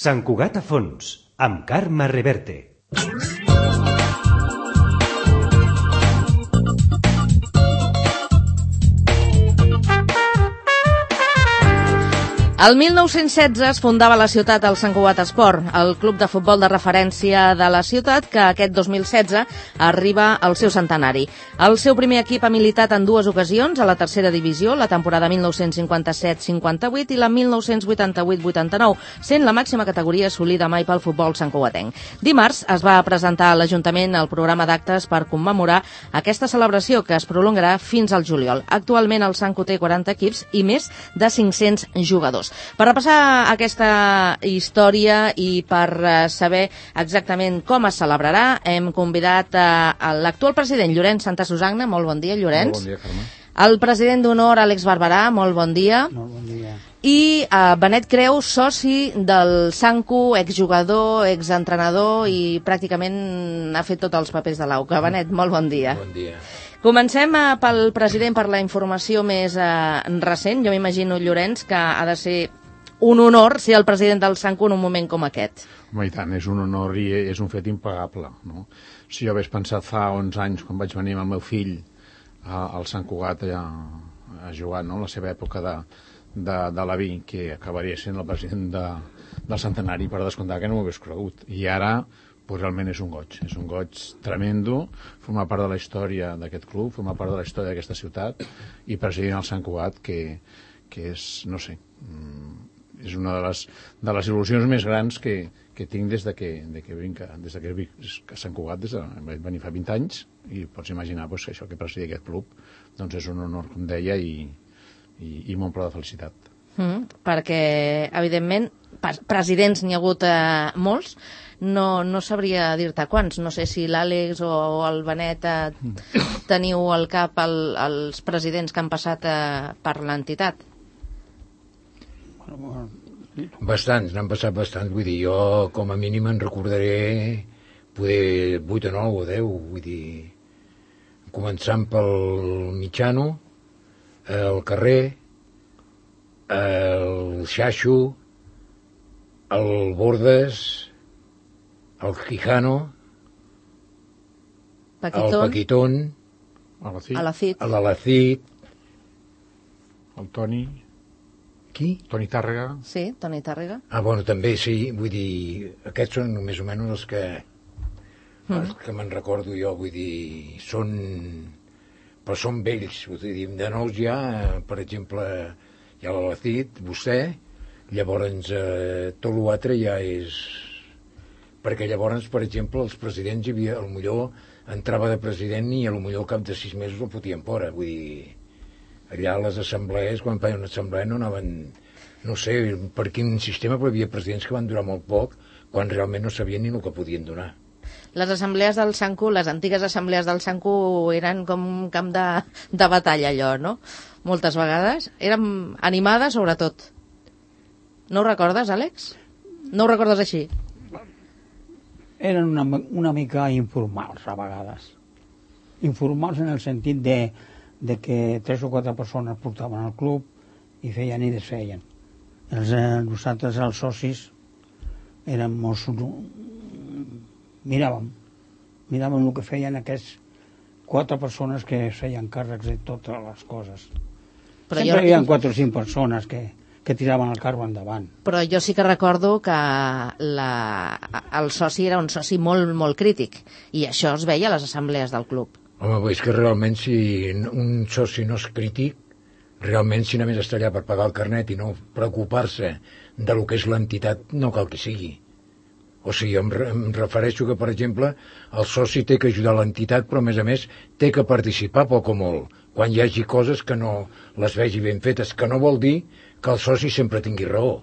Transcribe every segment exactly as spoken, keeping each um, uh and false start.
Sant Cugat a fons, amb Carme Reverte. El mil nou-cents setze es fundava a la ciutat el Sant Cugat Esport, el club de futbol de referència de la ciutat que aquest dos mil setze arriba al seu centenari. El seu primer equip ha militat en dues ocasions a la tercera divisió, la temporada mil nou-cents cinquanta-set cinquanta-vuit i la mil nou-cents vuitanta-vuit vuitanta-nou, sent la màxima categoria assolida mai pel futbol santcugatenc. Dimarts es va presentar a l'Ajuntament el programa d'actes per commemorar aquesta celebració que es prolongarà fins al juliol. Actualment el Santcu té quaranta equips i més de cinc-cents jugadors. Per repassar aquesta història i per saber exactament com es celebrarà, hem convidat a l'actual president, Llorenç Santa Susanna. Molt bon dia, Llorenç. Molt bon dia, Carme. El president d'honor, Àlex Barberà. Molt bon dia. Molt bon dia. I uh, Benet Creu, soci del Santcu, exjugador, exentrenador i pràcticament ha fet tots els papers de l'Auca. Benet, molt bon dia. Bon dia. Comencem uh, pel president per la informació més uh, recent. Jo m'imagino, Llorenç, que ha de ser un honor ser el president del Santcu en un moment com aquest. Home, i tant, és un honor i és un fet impagable, no? Si jo hagués pensat fa onze anys, quan vaig venir amb el meu fill a, al Sant Cugat a, a jugar, no?, la seva època de, de, de l'avi, que acabaria sent el president de, del centenari, per descomptar que no m'ho hagués cregut. I ara, pues, realment és un goig, és un goig tremendo, formar part de la història d'aquest club, formar part de la història d'aquesta ciutat i presidir el Sant Cugat, que, que és, no sé, és una de les, de les il·lusions més grans que, que tinc des de que, de que vinc, des de que vinc a Sant Cugat, des de, vaig venir fa vint anys, i pots imaginar pues, que això que presidir aquest club doncs és un honor, com deia, i, i, i m'omple de felicitat. Mm, perquè, evidentment, presidents n'hi ha hagut eh, molts, no, no sabria dir-te quants. No sé si l'Àlex o el Benet eh, teniu al cap el, els presidents que han passat eh, per l'entitat. Bastants, n'han passat bastants, vull dir, jo com a mínim en recordaré poder vuit o nou o deu, vull dir, començant pel Mitjano, el Carrer, el Xaxo, el Bordes, el Quijano, Paquitón, el Paquitón, Alacid, l'Alacid, el Toni... Qui? Toni Tàrrega. Sí, Toni Tàrrega. Ah, bueno, també, sí, vull dir, aquests són més o menys els que, mm. els que me'n recordo jo, vull dir, són, però són vells, vull dir, de nous ja, per exemple, hi ha l'Alacid, vostè, llavors eh, tot l'altre ja és, perquè llavors, per exemple, els presidents hi havia, el millor entrava de president i a lo millor al cap de sis mesos el fotien fora, vull dir, allà a les assemblees, quan feien una assemblea no anaven, no sé per quin sistema, però hi havia presidents que van durar molt poc, quan realment no sabien ni el que podien donar. Les assemblees del Santcu, les antigues assemblees del Santcu eren com un camp de, de batalla, allò, no? Moltes vegades. Eren animades, sobretot. No ho recordes, Àlex? No ho recordes així? Eren una, una mica informals, a vegades. Informals en el sentit de de que tres o quatre persones portaven al club i feien i desfeien. Els, eh, nosaltres, els socis, érem molt... miràvem, miràvem el que feien aquests quatre persones que feien càrrecs de totes les coses. Però sempre jo... hi havia quatre o cinc persones que, que tiraven el carro endavant. Però jo sí que recordo que la... el soci era un soci molt, molt crític, i això es veia a les assemblees del club. Home, és que realment si un soci no és crític, realment si només està allà per pagar el carnet i no preocupar-se de lo que és l'entitat, no cal que sigui. O sigui, em, em refereixo que, per exemple, el soci té que ajudar l'entitat, però a més a més té que participar poc o molt, quan hi hagi coses que no les vegi ben fetes, que no vol dir que el soci sempre tingui raó.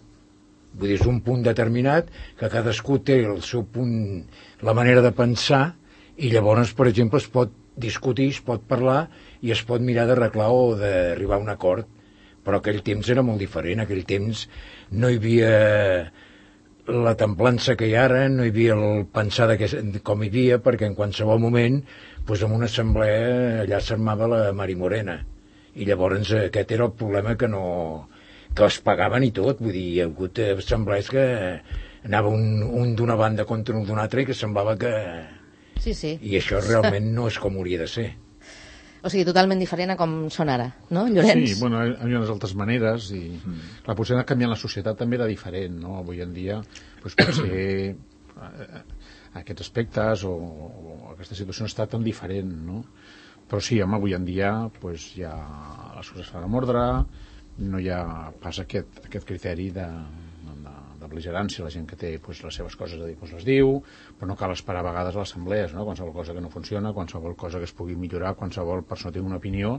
Vull dir, és un punt determinat que cadascú té el seu punt, la manera de pensar, i llavors, per exemple, es pot discutir, es pot parlar i es pot mirar d'arreglar o d'arribar a un acord, però aquell temps era molt diferent. Aquell temps no hi havia la templança que hi ha ara, no hi havia el pensar de que, com hi havia, perquè en qualsevol moment doncs en una assemblea allà s'armava la Mari Morena i llavors aquest era el problema, que no que es pagaven i tot, vull dir, hi ha hagut assemblees que anava un, un d'una banda contra un d'una altra i que semblava que... Sí, sí. I això realment no és com hauria de ser. O sigui, totalment diferent a com són ara, no, Llorenç? Sí, bueno, hi ha unes altres maneres i mm. la potser anar canviant la societat també era diferent, no? Avui en dia doncs, potser eh, aquests aspectes o, o aquesta situació no està tan diferent, no? Però sí, home, avui en dia doncs, ja les coses fan amb ordre, no hi ha pas aquest, aquest criteri de, de, de beligerància, la gent que té doncs, les seves coses a dir doncs les diu, però no cal esperar a vegades a les assemblees, no? Qualsevol cosa que no funciona, qualsevol cosa que es pugui millorar, qualsevol persona tingui una opinió,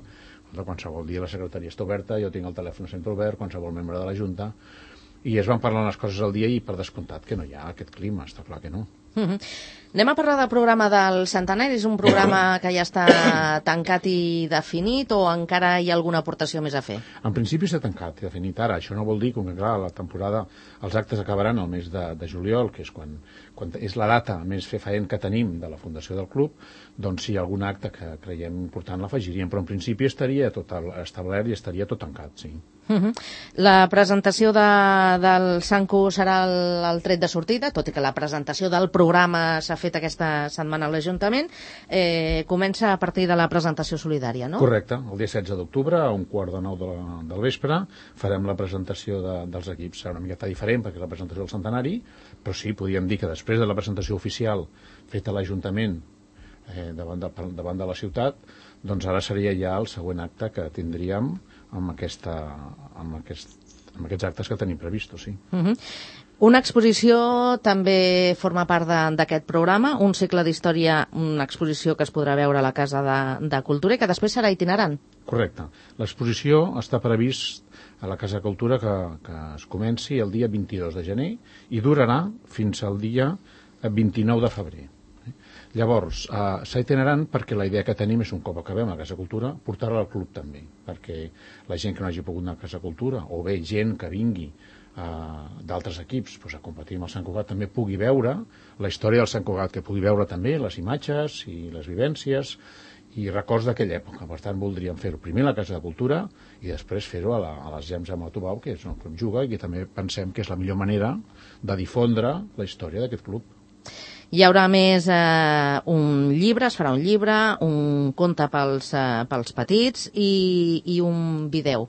qualsevol dia la secretaria està oberta, jo tinc el telèfon sempre obert, qualsevol membre de la Junta, i es van parlant les coses al dia i per descomptat que no hi ha aquest clima, està clar que no. Mm-hmm. Anem a parlar del programa del centenari. És un programa que ja està tancat i definit o encara hi ha alguna aportació més a fer? En principi s'ha tancat i definit ara. Això no vol dir que, clar, la temporada, els actes acabaran el mes de, de juliol, que és quan, quan és la data més fefaent que tenim de la fundació del club, doncs si hi ha algun acte que creiem important l'afegiríem, però en principi estaria tot establert i estaria tot tancat, sí. Uh-huh. La presentació de, del Sanco serà el, el tret de sortida, tot i que la presentació del programa s'ha fet aquesta setmana a l'Ajuntament, eh, comença a partir de la presentació solidària, no? Correcte, el dia setze d'octubre, a un quart de nou de la, del vespre, farem la presentació de, dels equips. Serà una miqueta diferent perquè és la presentació del centenari, però sí, podríem dir que després de la presentació oficial feta a l'Ajuntament eh, davant, de, davant de la ciutat, doncs ara seria ja el següent acte que tindríem amb, aquesta, amb, aquest, amb aquests actes que tenim previstos, sí. Uh-huh. Una exposició també forma part d'aquest programa, un cicle d'història, una exposició que es podrà veure a la Casa de, de Cultura i que després serà itinerant. Correcte. L'exposició està previst a la Casa de Cultura que, que es comenci el dia vint-i-dos de gener i durarà fins al dia vint-i-nou de febrer. Llavors, eh, s'ha itinerant perquè la idea que tenim és un cop acabem a la Casa de Cultura, portar-la al club també, perquè la gent que no hagi pogut anar a la Casa de Cultura, o bé gent que vingui eh, d'altres equips doncs, a competir amb el Sant Cugat, també pugui veure la història del Sant Cugat, que pugui veure també les imatges i les vivències i records d'aquella època. Per tant, voldríem fer-ho primer a la Casa de Cultura i després fer-ho a, la, a les Gems de Matobau, que és on el club juga i que també pensem que és la millor manera de difondre la història d'aquest club. Hi haurà més eh, un llibre, es farà un llibre, un conte pels, eh, pels petits i, i un vídeo.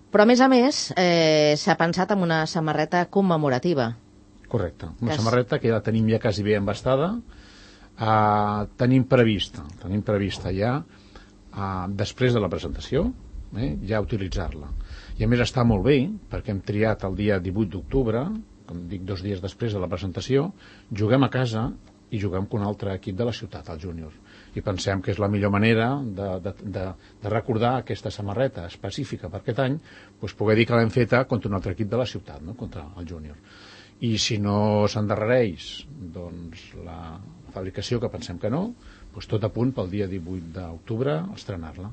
Però, a més a més, eh, s'ha pensat en una samarreta commemorativa. Correcte. Una que samarreta que ja la tenim ja quasi bé embastada. Uh, tenim prevista, tenim prevista ja, uh, després de la presentació, eh, ja utilitzar-la. I a més està molt bé, perquè hem triat el dia divuit d'octubre, com dic, dos dies després de la presentació, juguem a casa i juguem amb un altre equip de la ciutat, el júnior. I pensem que és la millor manera de, de, de, de recordar aquesta samarreta específica per aquest any, doncs poder dir que l'hem feta contra un altre equip de la ciutat, no? Contra el júnior. I si no s'endarrereix doncs, la fabricació, que pensem que no, doncs tot a punt pel dia divuit d'octubre estrenar-la.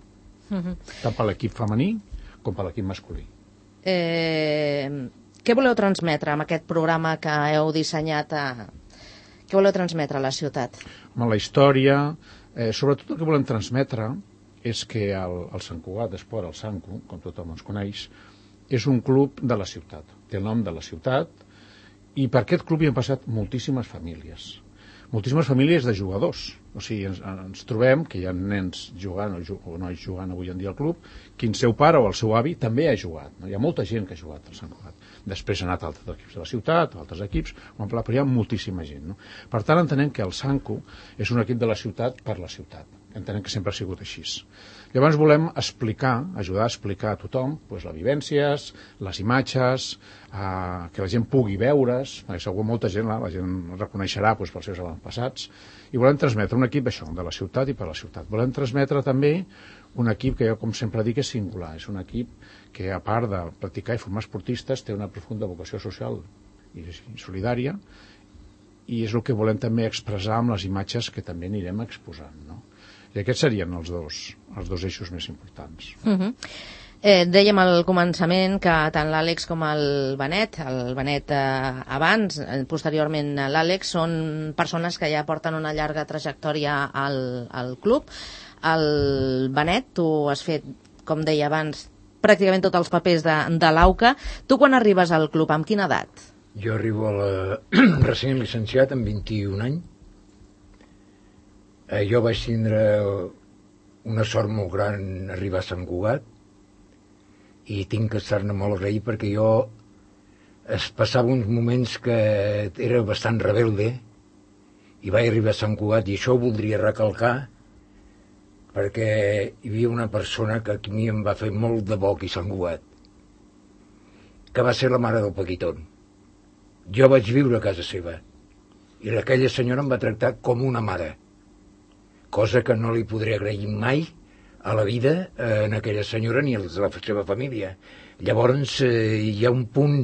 Uh-huh. Tant per l'equip femení com per l'equip masculí. Eh... Què voleu transmetre amb aquest programa que heu dissenyat? A... Què voleu transmetre a la ciutat? Home, la història, eh, sobretot el que volem transmetre és que el, el Sant Cugat Esport, el Sanco, com tothom ens coneix, és un club de la ciutat. Té el nom de la ciutat i per aquest club hi han passat moltíssimes famílies. Moltíssimes famílies de jugadors. O sigui, ens, ens trobem que hi ha nens jugant o, o nois jugant avui en dia al club, que el seu pare o el seu avi també ha jugat. No? Hi ha molta gent que ha jugat al Sant Cugat. Després ha anat a altres equips de la ciutat, a altres equips, però hi ha moltíssima gent. No? Per tant, entenem que el Sanco és un equip de la ciutat per la ciutat. Entenem que sempre ha sigut així. Llavors volem explicar, ajudar a explicar a tothom doncs, les vivències, les imatges, eh, que la gent pugui veure's, perquè segur molta gent la, la gent reconeixerà doncs, pels seus avantpassats, i volem transmetre un equip això, de la ciutat i per la ciutat. Volem transmetre també un equip que jo, com sempre dic, és singular. És un equip que, a part de practicar i formar esportistes, té una profunda vocació social i solidària, i és el que volem també expressar amb les imatges que també anirem exposant, no? I aquests serien els dos, els dos eixos més importants. Uh-huh. Eh, dèiem al començament que tant l'Àlex com el Benet, el Benet eh, abans, eh, posteriorment l'Àlex, són persones que ja porten una llarga trajectòria al, al club. El Benet, tu has fet, com deia abans, pràcticament tots els papers de, de l'Auca. Tu quan arribes al club, amb quina edat? Jo arribo a la... recent llicenciat amb vint-i-un anys. Eh, jo vaig tindre una sort molt gran arribar a Sant Cugat i tinc que estar-ne molt agraït perquè jo es passava uns moments que era bastant rebelde i vaig arribar a Sant Cugat i això ho voldria recalcar perquè hi havia una persona que a mi em va fer molt de bo aquí a Sant Cugat, que va ser la mare del Paquitón. Jo vaig viure a casa seva i aquella senyora em va tractar com una mare, cosa que no li podré agrair mai a la vida eh, en aquella senyora ni a la seva família. Llavors eh, hi ha un punt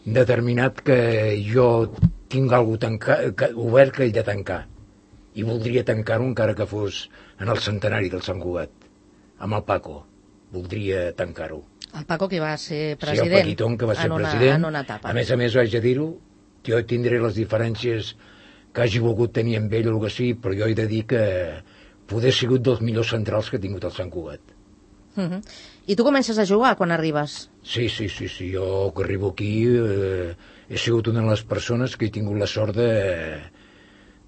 determinat que jo tinc alguna cosa obert que he de tancar i voldria tancar-ho encara que fos en el centenari del Sant Cugat, amb el Paco. Voldria tancar-ho. El Paco, que va ser president. Sí, el Paquitón, que va ser en una, president. En una etapa. A més a més, haig de dir-ho, jo tindré les diferències que hagi volgut tenir amb ell o el que sigui, però jo he de dir que poder ha sigut dels millors centrals que ha tingut el Sant Cugat. Uh -huh. I tu comences a jugar quan arribes? Sí, sí, sí, sí. Jo que arribo aquí eh, he sigut una de les persones que he tingut la sort de,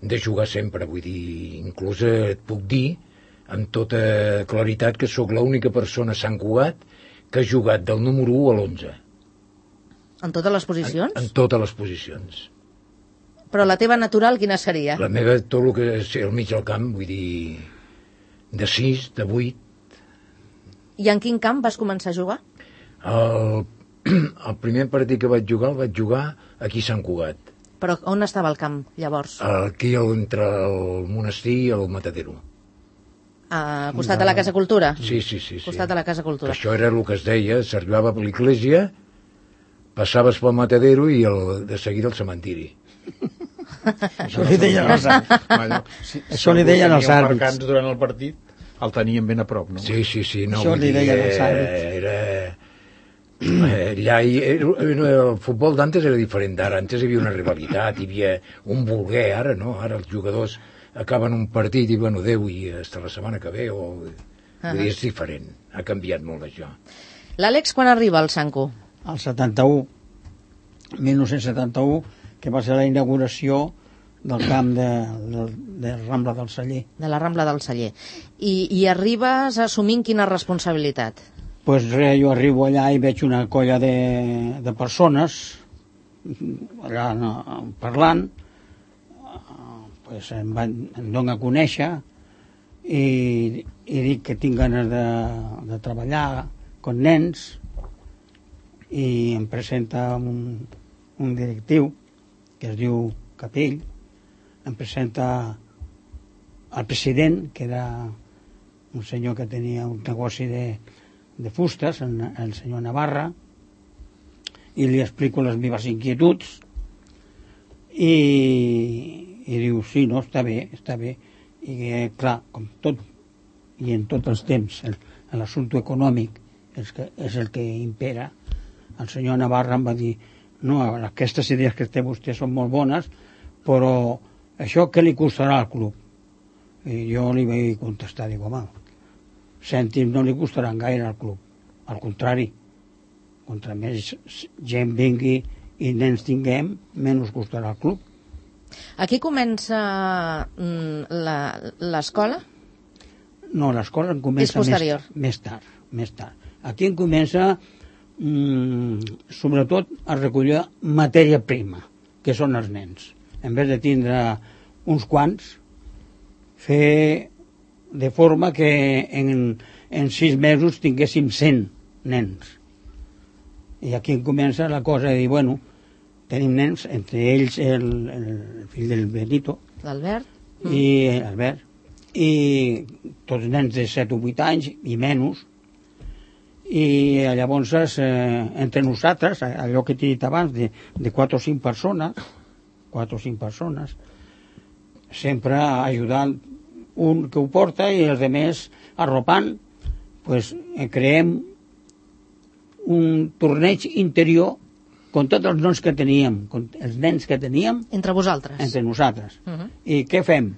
de jugar sempre. Vull dir, inclús et puc dir amb tota claritat que sóc l'única persona a Sant Cugat que ha jugat del número u a l'onze. En totes les posicions? En, en totes les posicions. Però la teva natural quina seria? La meva, tot el que és al mig del camp, vull dir, de sis, de vuit. I en quin camp vas començar a jugar? El, el primer partit que vaig jugar el vaig jugar aquí a Sant Cugat. Però on estava el camp, llavors? Aquí entre el monestir i el Matadero. A costat de la Casa Cultura? Sí, sí, sí. A costat sí. de la Casa Cultura. Que això era el que es deia, s'arribava per l'església, passaves pel Matadero i el, de seguida al cementiri. Això li deien els àrbits. Si, Això li deien els àrbits. Marcants durant el partit el tenien ben a prop, no? Sí, sí, sí. No, Això li deien els àrbits. Era... Allà hi, el futbol d'antes era diferent d'ara. Antes hi havia una rivalitat, hi havia un voler, ara no, ara els jugadors acaben un partit i bueno, adeu i hasta la setmana que ve o... Uh -huh. Vull dir, és diferent, ha canviat molt això. L'Àlex quan arriba al Sanco? El setanta-u, mil nou-cents setanta-u, que va ser la inauguració del camp de, de, de Rambla del Celler. De la Rambla del Celler. I, i arribes assumint quina responsabilitat? Pues res, jo arribo allà i veig una colla de, de persones allà no, parlant, pues em, van, em dono a conèixer i, i dic que tinc ganes de, de treballar con nens i em presenta un, un directiu que es diu Capell, em presenta el president, que era un senyor que tenia un negoci de, de fustes, el senyor Navarra, i li explico les meves inquietuds i, i diu, sí, no, està bé, està bé. I clar, com tot, i en tots els temps, l'assumpte econòmic és, que, és el que impera. El senyor Navarra em va dir, no, aquestes idees que té vostè són molt bones, però això què li costarà al club? I jo li vaig contestar, dic, home, cèntims no li costaran gaire al club, al contrari, contra més gent vingui i nens tinguem, menys costarà al club. Aquí comença l'escola? No, l'escola comença més, més tard, més tard. Aquí em comença mmm, sobretot a recollir matèria prima, que són els nens. En vez de tindre uns quants, fer de forma que en, en sis mesos tinguéssim cent nens. I aquí em comença la cosa de dir, bueno, tenim nens, entre ells el, el fill del Benito, l'Albert, i Albert, i tots nens de set o vuit anys i menys, i llavors eh, entre nosaltres, allò que t'he dit abans, de, de quatre o cinc persones, quatre o cinc persones, sempre ajudant un que ho porta i els altres arropant, pues, creem un torneig interior con tots els nens que teníem, els nens que teníem... Entre vosaltres? Entre nosaltres. Uh -huh. I què fem?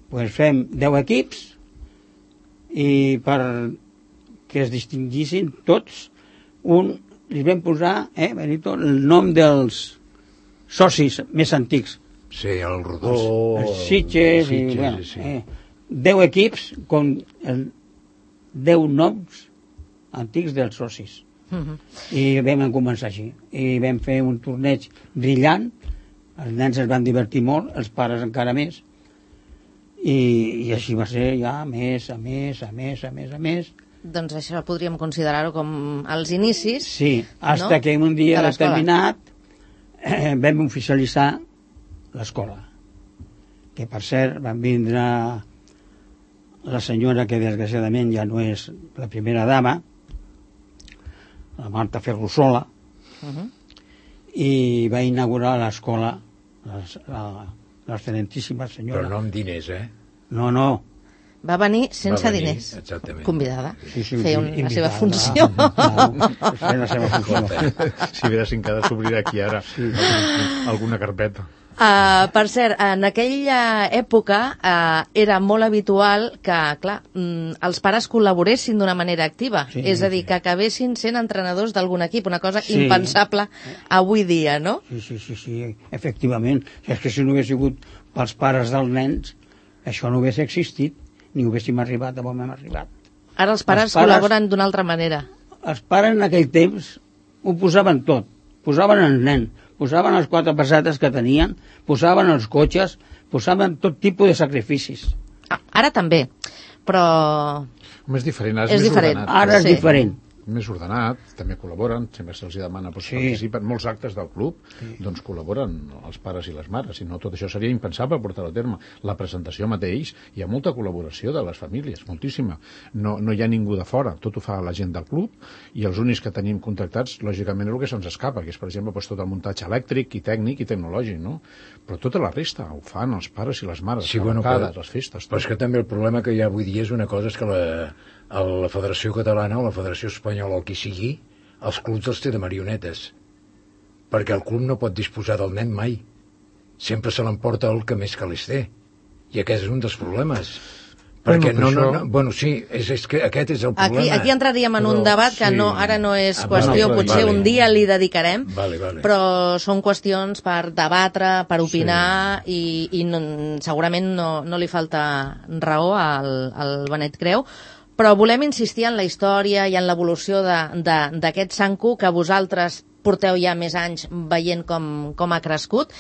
Pues fem deu equips i per que es distingissin tots, un, li vam posar, eh, Benito, el nom dels, socis més antics. Sí, el Rodós. Oh, els Sitges, i, bueno, sí. eh, deu equips com el deu noms antics dels socis. Uh-huh. I vam començar així. I vam fer un torneig brillant, els nens es van divertir molt, els pares encara més, i, i així va ser ja més, a més, a més, a més, a més. Doncs això podríem considerar-ho com els inicis. Sí, hasta no? que un dia de determinat eh, vam oficialitzar l'escola. Que per cert van vindre la senyora que desgraciadament ja no és la primera dama, la Marta Ferrusola, uh-huh. i va inaugurar l'escola, l'excel·lentíssima senyora. Però no amb diners, eh? No, no. Va venir sense va venir, diners. Exactament. Convidada. Sí, sí, Feia un, la seva invitada, funció. Feia la seva funció. Si veiessin que ha de s'obrir aquí ara sí. alguna carpeta. Uh, per cert, en aquella època uh, era molt habitual que, clar, mm, els pares col·laboressin d'una manera activa, sí, és a dir, sí. que acabessin sent entrenadors d'algun equip, una cosa sí. impensable avui dia, no? Sí, sí, sí, sí, efectivament. És que si no hagués sigut pels pares dels nens, això no hagués existit, ni haguéssim arribat on hem arribat. Ara els pares, els pares col·laboren d'una altra manera. Els pares en aquell temps ho posaven tot, posaven el nen, posaven les quatre pessetes que tenien, posaven els cotxes, posaven tot tipus de sacrificis. Ah, ara també, però... Home, és diferent, ara és, és més diferent. ordenat. Ara és sí. diferent. Més ordenat, també col·laboren, sempre se'ls demana doncs, sí. participen. Molts actes del club sí. doncs col·laboren els pares i les mares, si no tot això seria impensable portar-ho a terme. La presentació mateix, hi ha molta col·laboració de les famílies, moltíssima. No, no hi ha ningú de fora, tot ho fa la gent del club, i els únics que tenim contractats, lògicament, és el que se'ns escapa, que és, per exemple, doncs, tot el muntatge elèctric i tècnic i tecnològic, no? Però tota la resta ho fan els pares i les mares, sí, les bueno, vegades, però, les festes. Tot. Però és que també el problema que hi ha avui dia és una cosa, és que la, la Federació Catalana o la Federació Espanyola o el qui sigui, els clubs els té de marionetes, perquè el club no pot disposar del nen mai, sempre se l'emporta el que més calés té, i aquest és un dels problemes, perquè bueno, no, això... no, no, bueno, sí, és, és que aquest és el problema. Aquí, aquí entraríem en però, un debat que sí. no, ara no és ah, qüestió, vale, potser vale. un dia li dedicarem, vale, vale. però són qüestions per debatre, per opinar, sí. i, i no, segurament no, no li falta raó al, al Benet Creu, però volem insistir en la història i en l'evolució d'aquest Sanku, que vosaltres porteu ja més anys veient com, com ha crescut.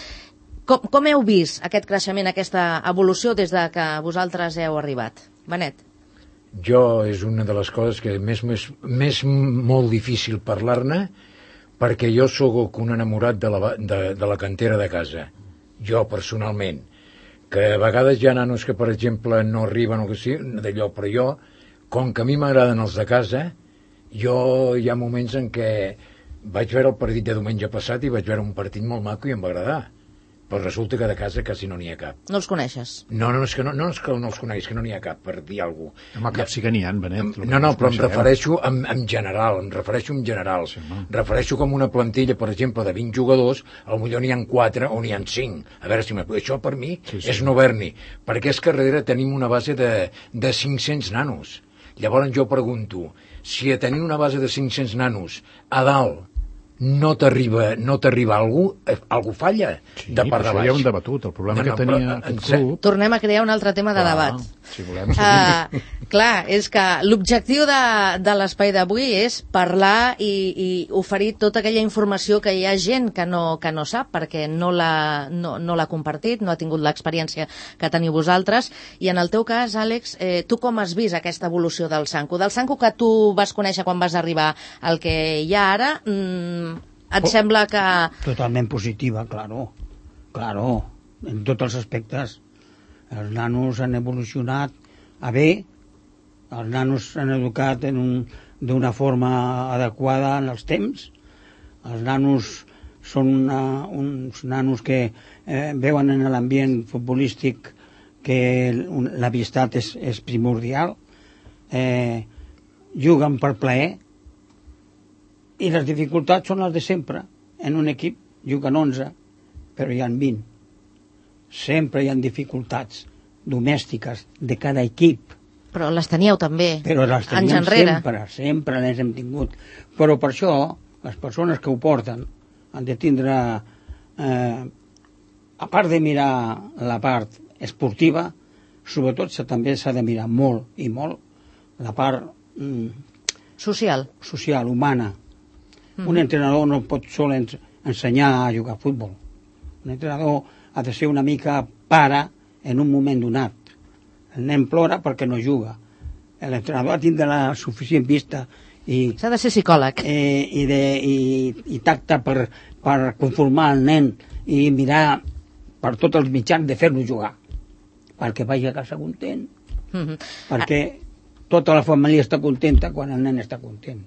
Com, com heu vist aquest creixement, aquesta evolució des de que vosaltres heu arribat? Benet. Jo és una de les coses que més, més, més molt difícil parlar-ne, perquè jo sóc un enamorat de la, de, de la cantera de casa. Jo, personalment. Que a vegades hi ha nanos que, per exemple, no arriben o que sí, d'allò, però jo, com que a mi m'agraden els de casa, jo hi ha moments en què vaig veure el partit de diumenge passat i vaig veure un partit molt maco i em va agradar. Però resulta que de casa quasi no n'hi ha cap. No els coneixes? No, no, és que no, no és que no els coneguis, que no n'hi ha cap, per dir alguna cosa. Home, cap sí que n'hi ha, Benet. No, no, però em refereixo en, en general, em refereixo en general. Sí, em refereixo com una plantilla, per exemple, de vint jugadors, potser n'hi ha quatre o n'hi ha cinc. A veure si això per mi sí, sí. és no haver-n'hi. Perquè és que darrere tenim una base de, de cinc-cents nanos. Llavors jo pregunto, si a tenir una base de cinc-cents nanos a dalt no t'arriba no t'arriba algú, eh, algú falla sí, de part de baix. Ja ho hem debatut, el problema no, no, que tenia però, aquest club... Tornem a crear un altre tema de clar, debat. Si volem, sí. uh, clar, és que l'objectiu de, de l'espai d'avui és parlar i, i oferir tota aquella informació que hi ha gent que no, que no sap, perquè no l'ha no, no l'ha compartit, no ha tingut l'experiència que teniu vosaltres, i en el teu cas, Àlex, eh, tu com has vist aquesta evolució del Sanku? Del Sanku que tu vas conèixer quan vas arribar al que hi ha ara, mmm, et oh, sembla que... Totalment positiva, claro. Claro, en tots els aspectes. Els nanos han evolucionat a bé, els nanos s'han educat en un, d'una forma adequada en els temps, els nanos són una, uns nanos que eh, veuen en l'ambient futbolístic que l'amistat és, és primordial, eh, juguen per plaer, i les dificultats són les de sempre. En un equip juguen onze, però hi ha vint. Sempre hi ha dificultats domèstiques de cada equip. Però les teníeu també, però les teníem sempre, sempre les hem tingut. Però per això, les persones que ho porten han de tindre eh, a part de mirar la part esportiva, sobretot també s'ha de mirar molt i molt la part mm, social, social humana. Mm. Un entrenador no pot sol ens, ensenyar a jugar a futbol. Un entrenador ha de ser una mica pare en un moment donat. El nen plora perquè no juga. L'entrenador ha de tindre la suficient vista i s'ha de ser psicòleg eh, i, de, i, i tacte per, per conformar el nen i mirar per tots els mitjans de fer-lo jugar perquè vagi a casa content, mm-hmm. perquè tota la família està contenta quan el nen està content.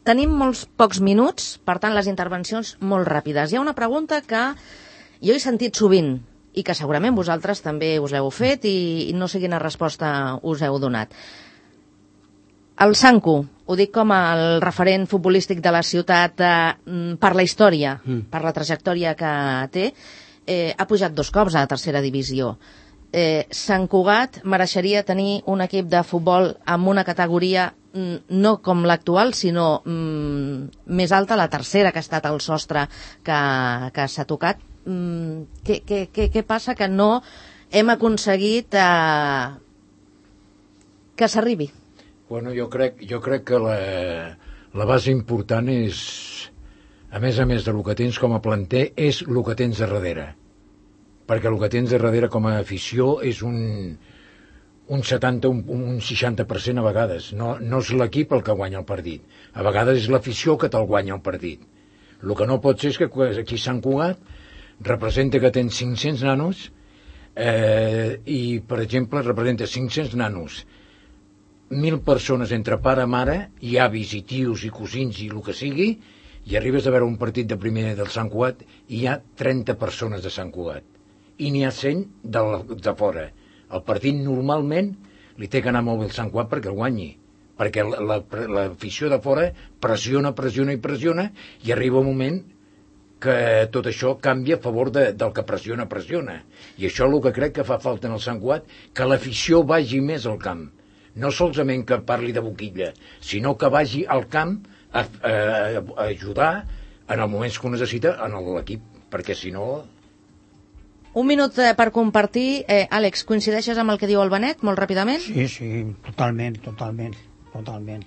Tenim molts pocs minuts, per tant les intervencions molt ràpides. Hi ha una pregunta que jo he sentit sovint i que segurament vosaltres també us l'heu fet i, i no sé quina resposta us heu donat. El Sanku, ho dic com el referent futbolístic de la ciutat eh, per la història, mm. per la trajectòria que té, eh, ha pujat dos cops a la tercera divisió. Eh, Sant Cugat mereixeria tenir un equip de futbol amb una categoria mm, no com l'actual, sinó mm, més alta, la tercera, que ha estat el sostre que, que s'ha tocat. Mm, què, què, què, què passa que no hem aconseguit eh, que s'arribi? Bueno, jo crec, jo crec que la, la base important és, a més a més de lo que tens com a planter, és el que tens a darrere. Perquè el que tens a darrere com a afició és un, un setanta, un, un seixanta per cent a vegades. No, no és l'equip el que guanya el partit. A vegades és l'afició que te'l guanya el partit. El que no pot ser és que aquí a Sant Cugat representa que tens cinc-cents nanos eh, i, per exemple, representa cinc-cents nanos, mil persones entre pare, mare, i avis, i tios, i cosins, i el que sigui, i arribes a veure un partit de primer del Sant Cugat i hi ha trenta persones de Sant Cugat. I n'hi ha cent de, de fora. El partit normalment li té que anar molt bé el Sant Cugat perquè el guanyi, perquè l'afició de fora pressiona, pressiona i pressiona i arriba un moment que tot això canvia a favor de, del que pressiona, pressiona. I això és el que crec que fa falta en el Sant Cugat, que l'afició vagi més al camp. No solament que parli de boquilla, sinó que vagi al camp a, a, a ajudar en els moments que ho necessita en l'equip, perquè si no... Un minut eh, per compartir. Eh, Àlex, coincideixes amb el que diu el Benet, molt ràpidament? Sí, sí, totalment, totalment, totalment.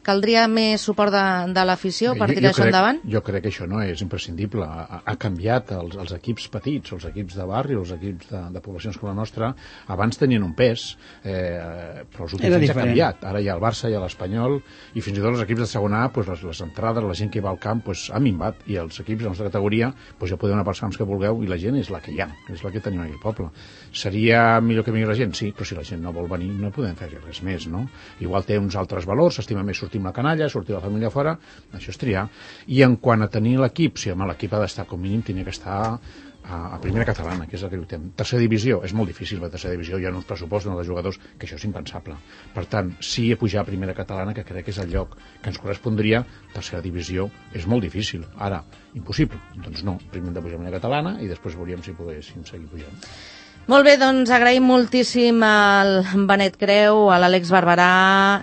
Caldria més suport de, de l'afició per tirar això endavant? Jo crec que això no és imprescindible. Ha, ha canviat els, els equips petits, els equips de barri, els equips de, de poblacions com la nostra. Abans tenien un pes, eh, però els últims anys ha canviat. Ara hi ha el Barça, hi ha l'Espanyol, i fins i tot els equips de segona A, pues, les, les entrades, la gent que va al camp, pues, ha minvat. I els equips de la nostra categoria, pues, ja podeu anar pels camps que vulgueu, i la gent és la que hi ha, és la que tenim aquí al poble. Seria millor que vingui la gent? Sí, però si la gent no vol venir, no podem fer res més, no? Igual té uns altres valors, s'estima més sortir amb la canalla, sortir la família fora, això és triar. I en quant a tenir l'equip, si home, l'equip ha d'estar com mínim, tenia que estar a, a primera catalana, que és el que lluitem. Tercera divisió, és molt difícil, la tercera divisió, hi ha uns pressupostos de jugadors, que això és impensable. Per tant, sí a pujar a primera catalana, que crec que és el lloc que ens correspondria, tercera divisió és molt difícil. Ara, impossible. Doncs no, primer hem de pujar a primera catalana i després veuríem si poguéssim seguir pujant. Molt bé, doncs agraïm moltíssim al Benet Creu, a l'Àlex Barberà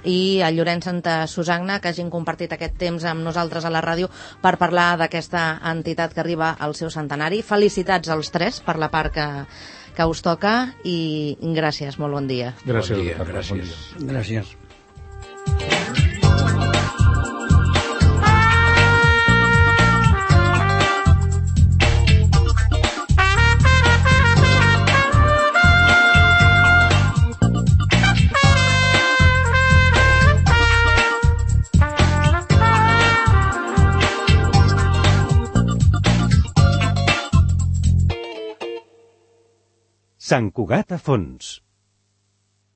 i al Llorenç Santa Susagna que hagin compartit aquest temps amb nosaltres a la ràdio per parlar d'aquesta entitat que arriba al seu centenari. Felicitats als tres per la part que, que us toca i gràcies, molt bon dia. Gràcies. Bon dia, gràcies. Bon dia. Gràcies. Sant Cugat a fons.